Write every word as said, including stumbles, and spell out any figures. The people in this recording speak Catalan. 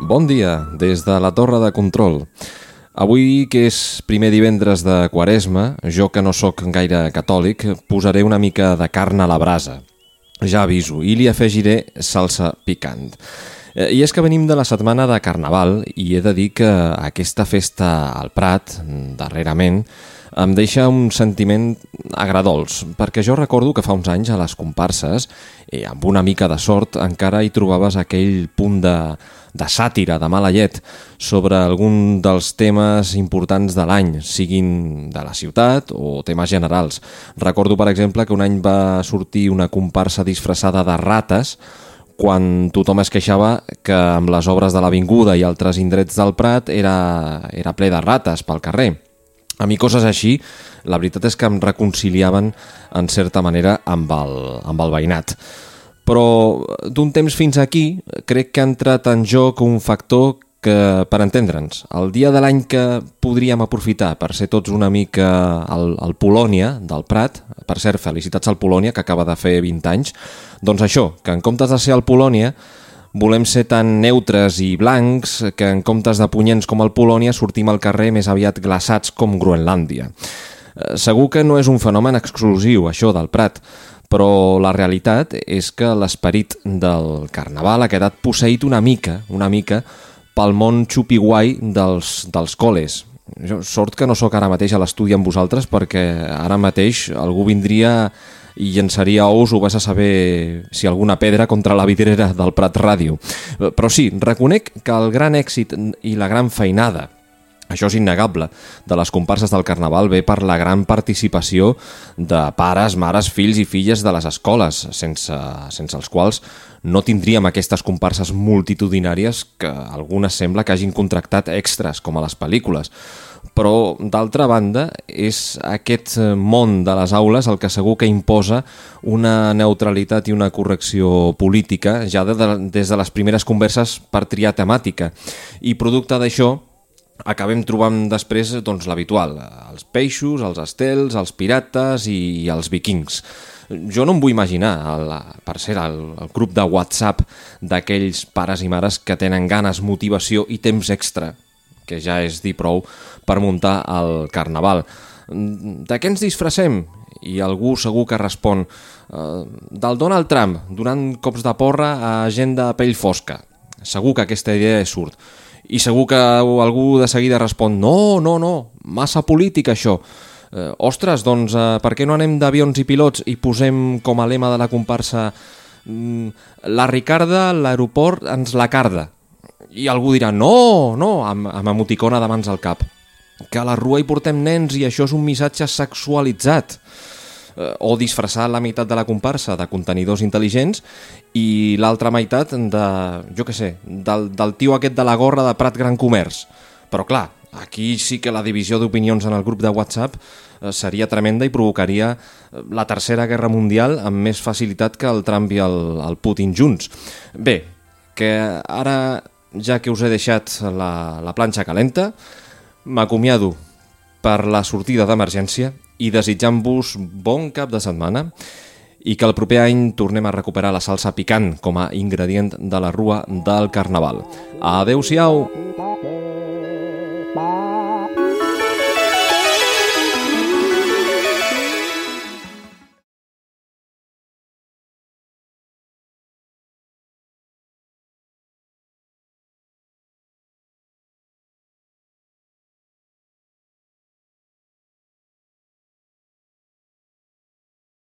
Bon dia, des de la Torre de Control. Avui, que és primer divendres de Quaresma, jo que no sóc gaire catòlic, posaré una mica de carn a la brasa. Ja aviso, i li afegiré salsa picant. I és que venim de la setmana de Carnaval i he de dir que aquesta festa al Prat, darrerament, em deixa un sentiment agradols, perquè jo recordo que fa uns anys a les comparses, i amb una mica de sort, encara hi trobaves aquell punt de, de sàtira, de mala llet, sobre algun dels temes importants de l'any, siguin de la ciutat o temes generals. Recordo, per exemple, que un any va sortir una comparsa disfressada de rates, quan tothom es queixava que amb les obres de l'Avinguda i altres indrets del Prat era, era ple de rates pel carrer. A mi coses així, la veritat és que em reconciliaven en certa manera amb el, amb el veïnat. Però d'un temps fins aquí crec que ha entrat en joc un factor que, per entendre'ns, el dia de l'any que podríem aprofitar per ser tots una mica al, al Polònia del Prat, per cert, felicitats al Polònia, que acaba de fer vint anys, doncs això, que en comptes de ser al Polònia volem ser tan neutres i blancs que en comptes de punyents com el Polònia sortim al carrer més aviat glaçats com Groenlàndia. Segur que no és un fenomen exclusiu, això del Prat, però la realitat és que l'esperit del Carnaval ha quedat posseït una mica, una mica, pel món xupi-guai dels, dels col·les. Jo, sort que no sóc ara mateix a l'estudi amb vosaltres, perquè ara mateix algú vindria i llançaria ous o vas a saber si alguna pedra contra la vidrera del Prat Ràdio. Però sí, reconec que el gran èxit i la gran feinada, això és innegable, de les comparses del Carnaval ve per la gran participació de pares, mares, fills i filles de les escoles, sense, sense els quals no tindríem aquestes comparses multitudinàries que algunes sembla que hagin contractat extras, com a les pel·lícules. Però, d'altra banda, és aquest món de les aules el que segur que imposa una neutralitat i una correcció política ja de, de, des de les primeres converses per triar temàtica. I producte d'això acabem trobant després doncs, l'habitual, els peixos, els estels, els pirates i els vikings. Jo no em vull imaginar, el, per ser el, el grup de WhatsApp d'aquells pares i mares que tenen ganes, motivació i temps extra, que ja és dir prou per muntar el Carnaval. De què ens disfressem? I algú segur que respon uh, del Donald Trump, donant cops de porra a gent de pell fosca. Segur que aquesta idea surt. I segur que algú de seguida respon no, no, no, massa polític això. Eh, ostres, doncs eh, per què no anem d'avions i pilots i posem com a lema de la comparsa mm, la Ricarda, l'aeroport ens la carda. I algú dirà no, no, amb, amb emoticona de mans al cap. Que a la rua hi portem nens i això és un missatge sexualitzat. Eh, o disfressar la meitat de la comparsa de contenidors intel·ligents i l'altra meitat de, jo què sé, del, del tio aquest de la gorra de Prat Gran Comerç. Però clar, aquí sí que la divisió d'opinions en el grup de WhatsApp eh, seria tremenda i provocaria la tercera guerra mundial amb més facilitat que el Trump i el, el Putin junts. Bé, que ara, ja que us he deixat la, la planxa calenta, m'acomiado per la sortida d'emergència i desitjant-vos bon cap de setmana i que el proper any tornem a recuperar la salsa picant com a ingredient de la rua del Carnaval. Adéu-siau! Bye.